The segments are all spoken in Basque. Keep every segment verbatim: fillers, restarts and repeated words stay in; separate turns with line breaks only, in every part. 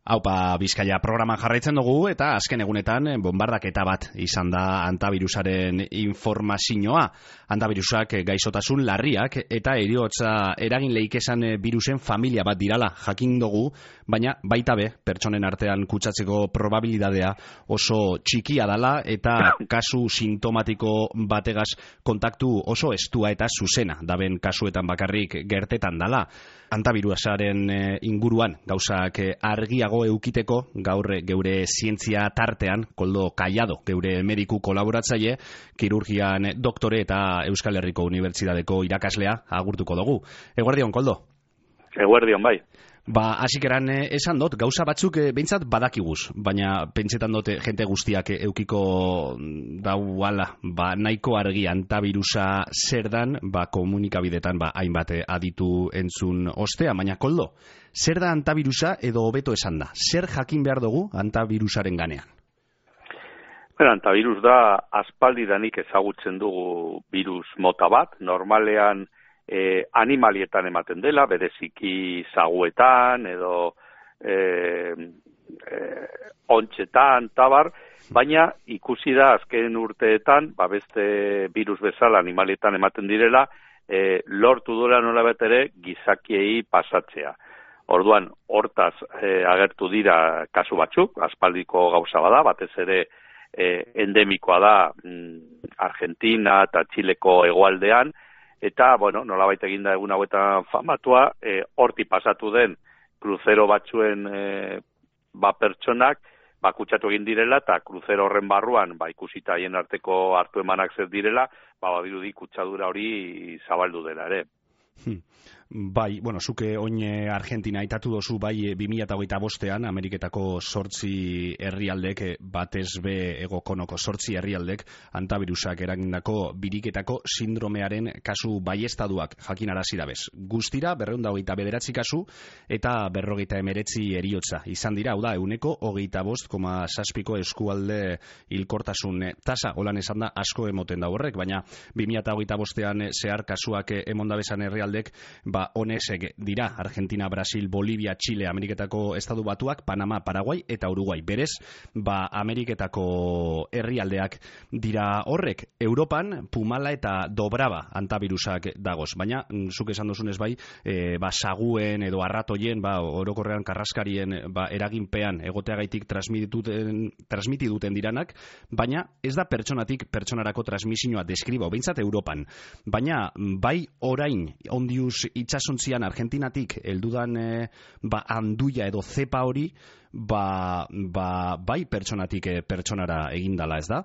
Haupa Bizkaia programan jarraitzen dugu eta azken egunetan bombardaketa bat izan da antavirusaren informazioa. Antavirusak gaixotasun larriak eta heriotza eragin leikesan virusen familia bat dirala jakin dugu, baina baita be pertsonen artean kutsatzeko probabilidadea oso txikia dala eta kasu sintomatiko bategaz kontaktu oso estua eta zuzena daben kasuetan bakarrik gertetan dala. Antavirusaren inguruan gauzak argiago eukiteko gaur geure zientzia tartean Koldo Kaiado, geure mediku kolaboratzaile, kirurgian doktore eta Euskal Herriko Unibertsitateko irakaslea agurtuko dugu. Eguerdion, Koldo?
Eguerdion, bai.
Ba, hasikeran esan dut, gauza batzuk behintzat badakiguz, baina pentsetan dut jente guztiak eukiko dauala, ba, nahiko argi antavirusa zer dan, ba, komunikabidetan ba, hainbat aditu entzun ostea, baina Koldo, zer da antavirusa edo hobeto esan da? Zer jakin behar dugu antavirusaren ganean?
Bueno, antavirus da aspaldidanik ezagutzen dugu virus mota bat, normalean Eh, animalietan ematen dela, bereziki zaguetan edo eh, eh, ontxetan, tabar, baina ikusi da azken urteetan, ba beste virus bezala animalietan ematen direla, eh, lortu duela nola bat ere gizakiei pasatzea. Orduan, hortaz eh, agertu dira kasu batzuk, aspaldiko gauza bada, batez ere eh, endemikoa da mm, Argentina eta Txileko hegoaldean, eta, bueno, nolabait eginda egun hauetan famatua, e, horti pasatu den kruzero batzuen e, ba pertsonak, ba kutsatu egin direla, eta kruzero horren barruan, ba ikusita haien arteko hartu emanak zer direla, ba badirudi kutsadura hori zabaldu dela ere.
Hmm. Bai, bueno, zuke oin Argentina aitatu dozu bai bi mila hogeita bostean Ameriketako zortzi herrialdek batez be egokonoko zortzi herrialdek antavirusak eragindako biriketako sindromearen kasu baiestaduak jakinarazi dabez. Guztira berrehun eta hogeita bederatzi kasu eta berrogeita hemeretzi heriotza izan dira, hau da ehuneko hogeita bost koma zazpiko eskualde hilkortasun tasa, holan esan da asko emoten da horrek, baina bi mila hogeita bostean zehar kasuak emondabezan herrialdek ba honesek dira Argentina, Brasil, Bolivia, Chile, Ameriketako Estatu Batuak, Panama, Paraguai eta Uruguai. Berez, ba Ameriketako herrialdeak dira horrek. Europan Pumala eta Dobrava antavirusak dagoz, baina zuk esan dozunez bai, e, ba saguen edo arratoien, ba orokorrean karraskarien ba eraginpean egoteagaitik transmitituten transmitiduten diranak, baina ez da pertsonatik pertsonarako transmisioa deskribo, behintzat Europan. Baina bai orain ondius itxasontzian Argentinatik heldudan e, ba handuia edo zepa hori ba, ba bai pertsonatik e, pertsonara egindala, ez da?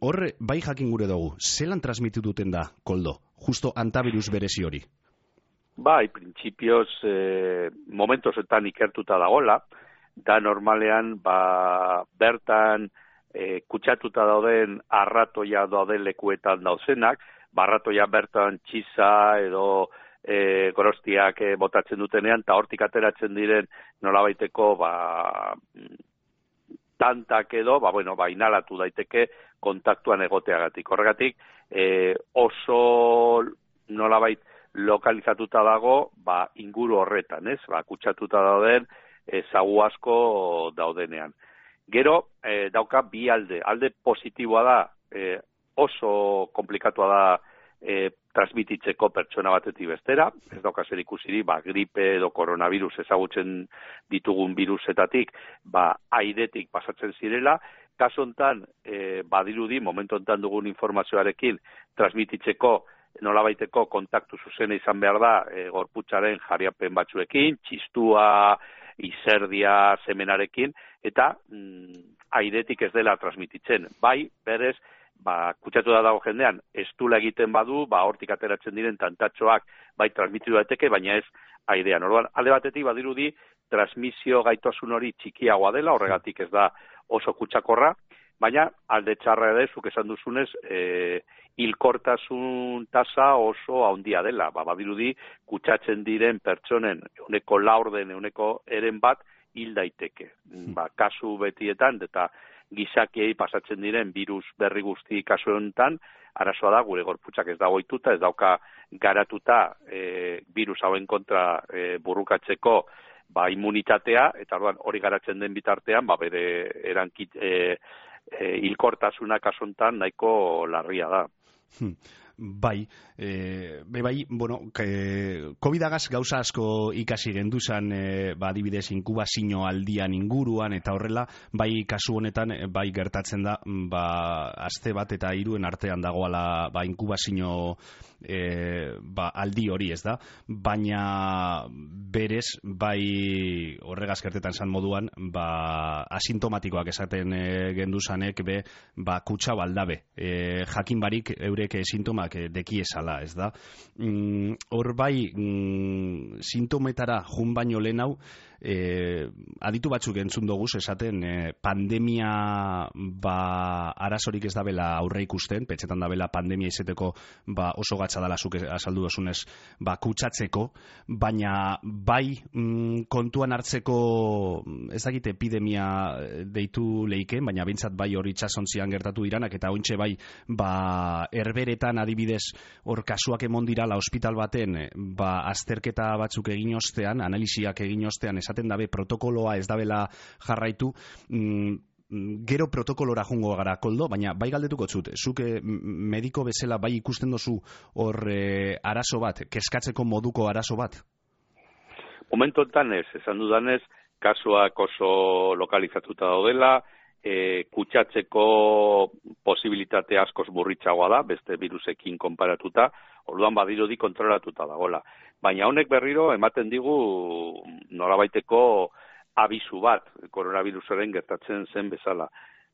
Hor bai jakin gure dugu, zelan transmitituten da, Koldo, justo antavirus berezi hori?
Bai, printzipioz e, momentosetan ikertuta dagola, da normalean ba bertan e, kutsatuta dauden arratoia dauden lekuetan dauzenak, barratoia bertan txiza edo E, gorostiak e, botatzen dutenean, eta hortik ateratzen diren nolabaiteko ba, tantak edo, ba, bueno, ba, inhalatu daiteke kontaktuan egoteagatik. Horregatik, e, oso nolabait lokalizatuta dago ba, inguru horretan, ez? Ba, kutsatuta dauden e, zagu asko daudenean. Gero, e, dauka bi alde. Alde positiboa da, e, oso komplikatua da E, transmititzeko pertsona batetik bestera, ez dauka zer ikusiri, ba, gripe edo koronavirus ezagutzen ditugun virusetatik, ba, airetik pasatzen zirela, kasu hontan, e, badirudi, momentu hontan dugun informazioarekin, transmititzeko nolabaiteko kontaktu zuzena izan behar da, e, gorputzaren jariapen batzuekin, txistua, izerdia, semenarekin, eta mm, airetik ez dela transmititzen. Bai, berez, ba, kutsatu da dago jendean, estula egiten badu, ba, hortik ateratzen diren tantatxoak bai transmititu daiteke, baina ez airean. Orduan, alde batetik badirudi, transmisio gaitasun hori txikiagoa dela, horregatik ez da oso kutsakorra, baina alde txarra ere, zuk esan duzunez, e, hilkortasun tasa oso handia dela. Ba, badirudi, kutsatzen diren pertsonen, euneko laurden, euneko eren bat, hil daiteke. Ba, kasu betietan, eta gizakiei pasatzen diren virus berri guzti kasu honetan, arazoa da gure gorputzak ez dago ohituta, ez dauka garatuta e, virus hauen kontra e, burrukatzeko ba, immunitatea, eta orduan hori garatzen den bitartean, ba, bere erankit, e, e, hilkortasuna kasontan nahiko larria da.
Hmm. Bai, e, be bai, bueno, COVID-agaz gauza asko ikasi genduzan, e, ba, adibidez, inkubazio aldian inguruan, eta horrela, bai, kasu honetan, bai, gertatzen da, ba, aste bat eta hiruen artean dagoala, ba, inkubazio e, ba, aldi hori, ez da? Baina, berez, bai, horregaz gertetan zan moduan, ba, asintomatikoak esaten e, genduzanek, be, ba, kutsa baldabe, e, jakin barik eurek sintomak dekiesala, ez da? Hor mm, bai, mm, sintometara jun baino lehen hau, e, aditu batzuk entzun doguz, esaten e, pandemia ba, arazorik ez dabela aurre ikusten, petxetan dabela pandemia izeteko ba, oso gatza dala zuk azaldu dosunez, ba, kutsatzeko, baina bai mm, kontuan hartzeko ez dakit epidemia deitu leiken, baina bintzat bai hori itxasontzian gertatu iranak, eta ointxe bai ba, herberetan adibidez hor kasuak emon dirala ospital baten ba, azterketa batzuk egin ostean, analisiak egin ostean esaten dabe protokoloa ez dabela jarraitu, mm, gero protokolora jungo gara, Koldo, baina bai galdetuko zut, zuk mediko bezala bai ikusten dozu hor e, arazo bat, keskatzeko moduko arazo bat?
Momentu enten ez, esan dudanez, kasuak oso lokalizatuta daudela, e, kutsatzeko posibilitate askoz burritxagoa da, beste virusekin konparatuta, orduan badirudi kontrolatuta dagoela. Baina honek berriro ematen digu nolabaiteko abisu bat, koronavirusaren gertatzen zen bezala.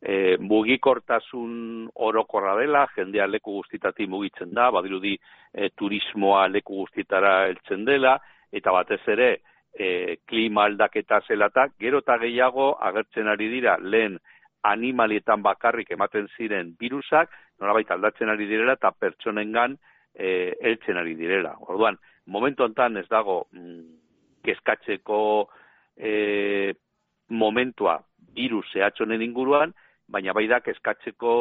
E, mugikortasun orokorra dela, jendea leku guztitatik mugitzen da, badirudi e, turismoa leku guztitara heltzen dela, eta batez ere e, klima aldaketa zelata, gero eta gehiago agertzen ari dira lehen animalietan bakarrik ematen ziren virusak, nolabait aldatzen ari direla eta pertsonengan e, heltzen ari direla. Orduan, momentu honetan ez dago mm, kezkatzeko e, momentua virus zehatzonen inguruan, baina bai da kezkatzeko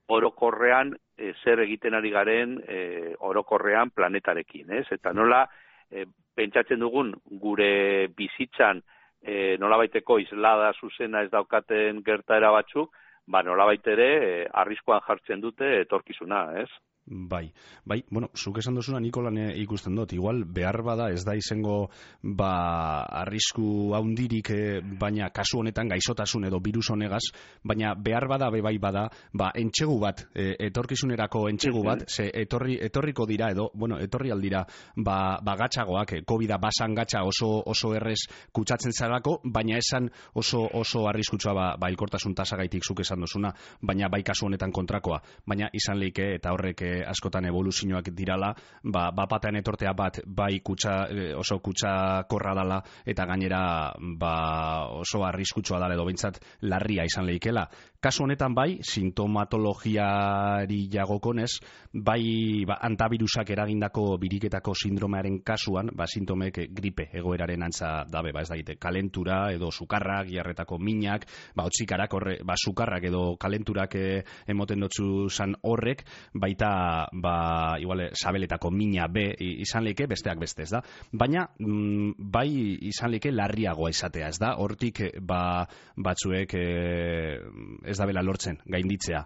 orokorrean e, zer egiten ari garen e, orokorrean planetarekin, ez? Eta nola e, pentsatzen dugun gure bizitzan e, nolabaiteko islada zuzena ez daukaten gertaera batzuk, ba nolabait ere e, arriskuan jartzen dute etorkizuna, ez?
Bai, bai, bueno, zuk esan dozuna Nikolan ikusten dut, igual behar bada ez da izango ba, arrisku haundirik, eh, baina kasu honetan gaixotasun edo virus honegaz, baina behar bada be bai bada, ba, entxegu bat, eh, etorkizunerako entxegu bat, ze etorri, etorriko dira edo, bueno, etorri aldira, ba, ba gatxagoak, eh, COVID-a basan gatxa oso, oso errez kutsatzen zarako, baina esan oso, oso arriskutsua ba, ba ilkortasun tasagaitik zuk esan dozuna, baina bai kasu honetan kontrakoa, baina izan leike eta horrek eh, askotan evoluzioak dirala, ba, bapatean etortea bat bai kutsa, oso kutsa korra dala, eta gainera ba, oso arriskutsua dala edo behintzat larria izan lehikela. Kasu honetan bai, sintomatologiari jagokonez, bai ba, antavirusak eragindako biriketako sindromearen kasuan, ba, sintomek gripe egoeraren antza dabe, ba, ez da, kalentura edo sukarrak, jarretako minak, ba, otsikarak, horre, ba, sukarrak edo kalenturak eh, emoten dotzu zan horrek, baita ba, igual, sabeletako mina be izan leike, besteak beste, ez da. Baina, mm, bai izan leike larriagoa izatea, ez da. Hortik, ba, batzuek eh, ez da bela lortzen, gainditzea.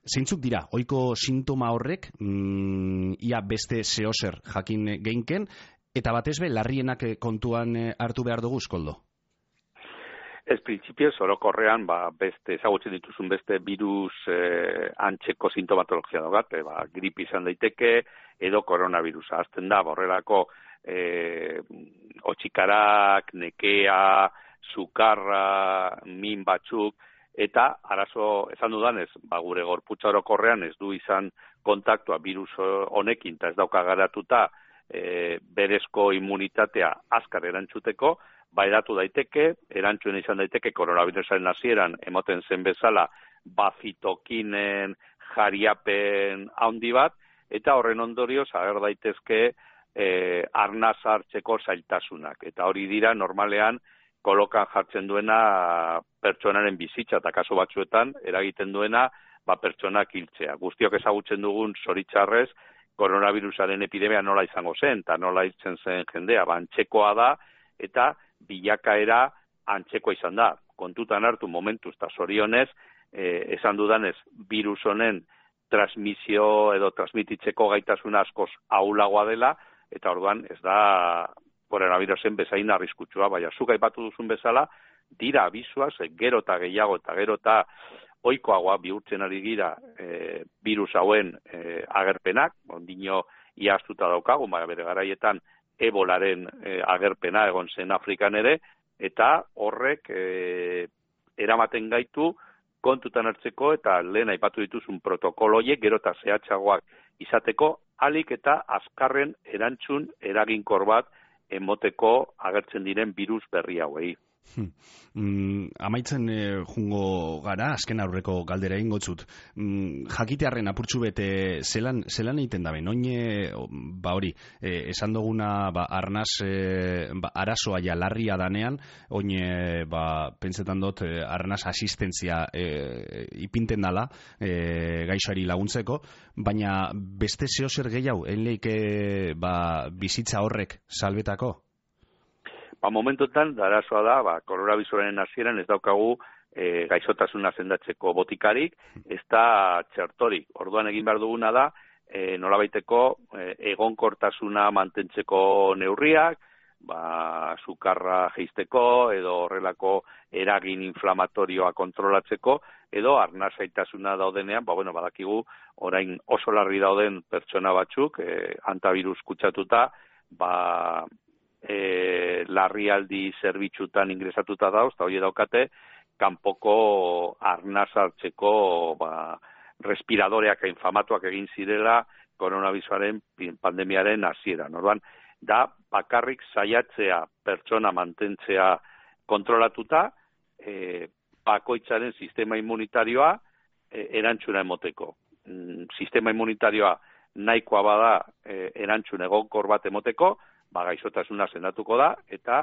Zeintzuk dira, ohiko sintoma horrek, mm, ia beste zehozer jakin geinken, eta batez be, larrienak kontuan hartu behar dugu, Koldo?
Ez printzipioz, orokorrean, ba, beste, ezagutzen dituzun beste virus eh, antzeko sintomatologia daugate, ba, grip izan daiteke, edo koronavirusa. Azten da, borrelako eh, otxikarak, nekea, sukarra, min batzuk, eta arazo, esan dudanez, ba, gure gorputza orokorrean ez du izan kontaktua virus honekin, eta ez dauka garatuta e, berezko immunitatea azkar erantzuteko, ba eratu daiteke, erantzuen izan daiteke koronavirusaren hasieran emoten zen bezala bafitokinen jariapen handi bat, eta horren ondorioz ager daitezke e, arnaz hartzeko zailtasunak. Eta hori dira normalean kolokan jartzen duena pertsonaren bizitza, eta kasu batzuetan eragiten duena ba, pertsonak hiltzea. Guztiok ezagutzen dugun zoritxarrez koronavirusaren epidemia nola izango zen, eta nola hiltzen zen jendea, ba, antzekoa da, eta bilakaera antzeko izan da. Kontutan hartu momentuz eta zorionez, eh, esan dudanez, virus honen transmisio edo transmititzeko gaitasuna askoz ahulagoa dela, eta orduan ez da koronavirusen bezain arriskutsua, baina zuk aipatu duzun bezala, dira abisuaz, gero eta gehiago eta gero eta ohikoagoa bihurtzen ari gira e, virus hauen e, agerpenak, ondino iaztuta daukagu, baina bere garaietan ebolaren e, agerpena egon zen Afrikan ere, eta horrek e, eramaten gaitu kontutan hartzeko eta lehen aipatu dituzun protokoloiek gero eta zehatzagoak izateko, alik eta azkarren erantzun eraginkor bat emoteko agertzen diren virus berri hauei.
Hmm. Mm, amaitzen e, jungo gara, azken aurreko galdera ingotzut. Mm, jakitearren apurtxu bete zelan, zelan egiten dabe, noine, ba hori, e, esan duguna ba, arnaz e, ba, arazoa ja larria danean, oine, ba, pentsetan dut, e, arnaz asistentzia e, ipinten dala e, gaixari laguntzeko, baina beste zeo zer gehiago, enleik e, ba, bizitza horrek salbetako?
Ba, momentotan, arazoa da, ba, koronavirusen hasieran ez daukagu e, gaixotasuna sendatzeko botikarik, ez da txertorik. Orduan egin behar duguna da, e, nolabaiteko e, egonkortasuna mantentzeko neurriak, ba, sukarra jeisteko, edo horrelako eragin inflamatorioa kontrolatzeko, edo arnazaitasuna daudenean, ba, bueno, badakigu, orain oso larri dauden pertsona batzuk, e, antavirus kutsatuta, ba, E, larrialdi zerbitzutan ingresatuta dauz, eta hori daukate, kanpoko arnaz hartzeko ba, respiradoreak inflamatuak egin zirela koronavirusen pandemiaren hasieran. Orduan, da bakarrik saiatzea pertsona mantentzea kontrolatuta, e, bakoitzaren sistema immunitarioa e, erantzuna emoteko. Mm, sistema immunitarioa nahikoa bada e, erantzun egonkor bat emoteko, ba, gaixotasuna sendatuko da, eta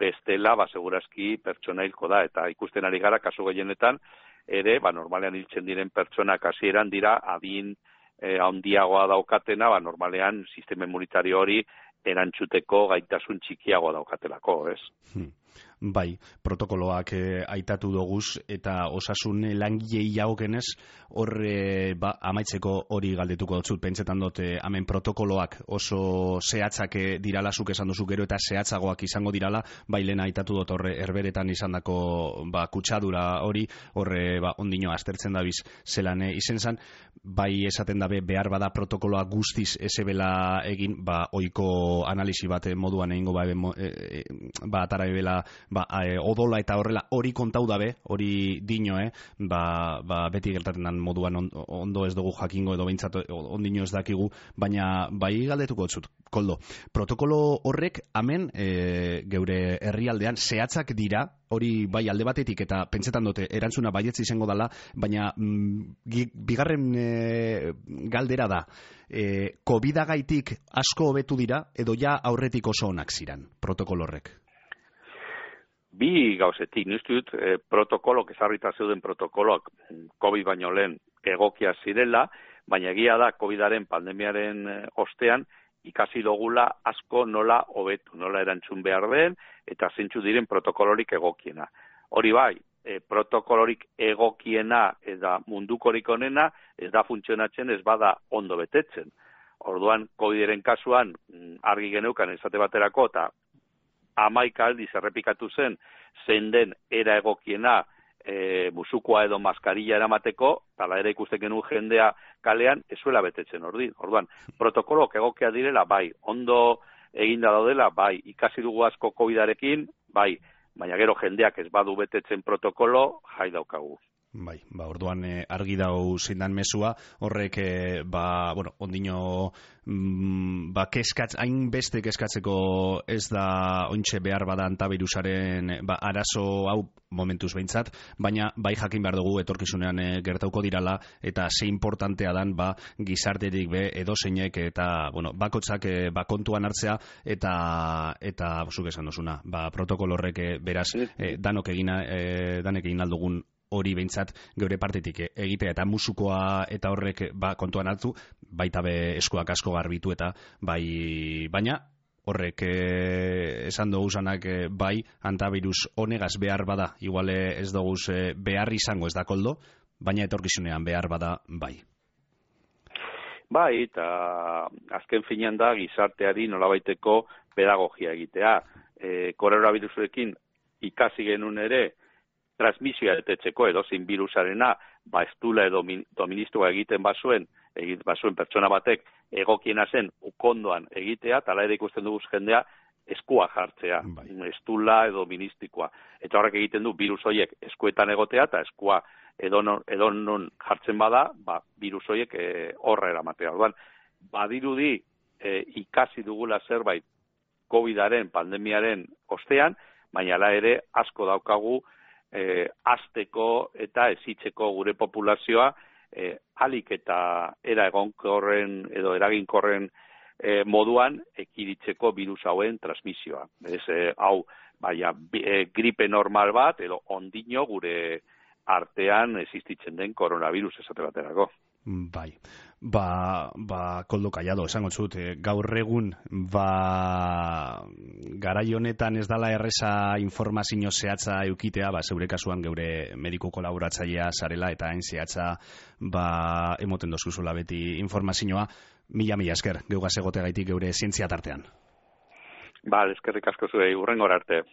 bestela, ba, segurazki pertsona hilko da, eta ikusten ari gara, kasu gehienetan, ere, ba, normalean hiltzen diren pertsonak hasieran dira, adin eh, handiagoa daukatena, ba, normalean sistema immunitario hori erantzuteko gaitasun txikiagoa daukatelako, ez?
Hmm. Bai, protokoloak eh, aitatu doguz eta osasun langilei jagokenez horre ba, amaitzeko hori galdetuko dut, pentsetan dut eh, hemen protokoloak oso zehatzak eh, dirala, zuk esan duzu gero eta zehatzagoak izango dirala, bai lehen aitatu dut horre herberetan izandako ba, kutsadura hori, horre ba, ondino aztertzen dabiz zelan eh, izen zan, bai esaten dabe behar bada protokoloa guztiz ezebela egin, ba ohiko analisi bat moduan egingo ba, e, e, ba atara ebela ba, e, odola eta horrela hori kontau dabe, hori dino, eh? ba, ba, beti gertatzen den moduan on, ondo ez dugu jakingo edo behintzat ondino ez dakigu, baina bai galdetuko dut, Koldo, protokolo horrek hemen e, geure herrialdean zehatzak dira, hori bai alde batetik eta pentsetan dute erantzuna baietz izango dela, baina mm, bigarren e, galdera da, e, COVID-agaitik asko hobetu dira edo ja aurretik oso onak ziran protokolo horrek?
Bi gauzetik, niztu dut, e, protokolok, ezarrita zeuden protokoloak COVID baino lehen egokia zirela, baina egia da COVIDaren pandemiaren e, ostean ikasi dogula asko nola hobetu, nola erantzun behar den, eta zeintzu diren protokolorik egokiena. Hori bai, e, protokolorik egokiena eta mundukorik onena ez da funtzionatzen, ez bada ondo betetzen. Orduan, COVIDaren kasuan argi geneukan esate baterako, eta hamaika aldiz errepikatu zen, zein den era egokiena e, musukoa edo maskarilla eramateko, tala ere ikusten genuen jendea kalean, ezuela betetzen ordi. Orduan, protokolok egokia direla, bai, ondo eginda daudela, bai, ikasi dugu asko COVIDarekin, bai, baina gero jendeak ez badu betetzen protokolo, jai daukagu.
Bai, ba, orduan eh, argi dau zindan mesua, horrek, eh, ba, bueno, ondino, mm, ba, keskatz, hain beste keskatzeko ez da ointxe behar bada antavirusaren, ba, arazo hau momentuz behintzat, baina bai jakin behar dugu etorkizunean eh, gertauko dirala, eta ze importantea dan, ba, gizarterik be, edo zeinek, eta, bueno, bakotzak, eh, ba, kontuan hartzea, eta, eta, zuk esan duzuna, ba, protokolo horrek, eh, beraz, eh, danok egina, eh, danek egin aldugun hori behintzat geure partetik egitea eta musukoa eta horrek ba, kontuan hartu, baita be eskuak asko garbitu eta bai, baina horrek e, esan dugu zanak e, bai, antavirus honegaz behar bada, igual ez dugu e, behar izango ez da koldo, baina etorkizunean behar bada bai.
Bai, eta azken finean da gizarteari nolabaiteko pedagogia egitea. E, koronavirusekin ikasi genuen ere transmisioa etetzeko edo zein virusarena, ba ez dula edo doministua egiten bazuen, egit bazuen pertsona batek egokiena zen ukondoan egitea, tala ere ikusten dugu jendea eskua jartzea, bai. Ez dula edo ministikoa. Eta horrek egiten du virus horiek eskuetan egotea eta eskua edonon, edonon jartzen bada, ba, virus horiek e, horra eramatea. Orduan, badirudi e, ikasi dugula zerbait COVIDaren, pandemiaren ostean, baina ala ere asko daukagu e, azteko eta ezitzeko gure populazioa e, alik eta era egonkorren edo eraginkorren e, moduan ekiritzeko virus hauen transmisioa. Ez, e, hau, baina, e, gripe normal bat edo ondino gure artean existitzen den koronavirus esate baterako.
Bai, ba, ba koldo kaiado, esango zut, e, gaur egun, ba, garai honetan ez dala erreza informazio zehatza eukitea, ba, zeure kasuan geure mediku kolaboratzailea zarela, eta hain zehatza, ba, emoten dozuzula beti informazioa, mila mila esker, geugaz egotegaitik geure zientzia tartean.
Ba, eskerrik asko zuei, hurrengora arte.